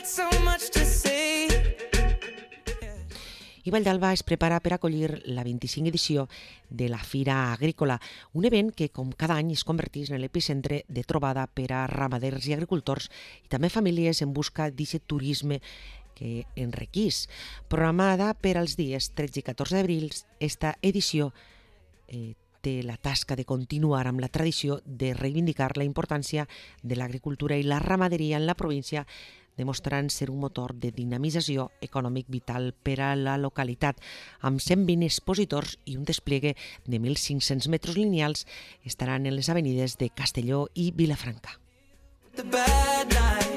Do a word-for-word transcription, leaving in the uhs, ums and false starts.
got so much to say. I Valldalba es prepara per acollir la vint-i-cinc edició de la Fira Agrícola, un event que, com cada any, es converteix en l'epicentre de trobada per a ramaders i agricultors i també famílies en busca d'aquest turisme que enriquís. Programada per als dies tretze i catorze d'abril, esta edició eh, té la tasca de continuar amb la tradició de reivindicar la importància de l'agricultura i la ramaderia en la província, demostrant ser un motor de dinamització econòmic vital per a la localitat. Amb cent vint expositors i un despliegue de mil cinc-cents metres lineals estaran en les avenides de Castelló i Vilafranca. The bad night.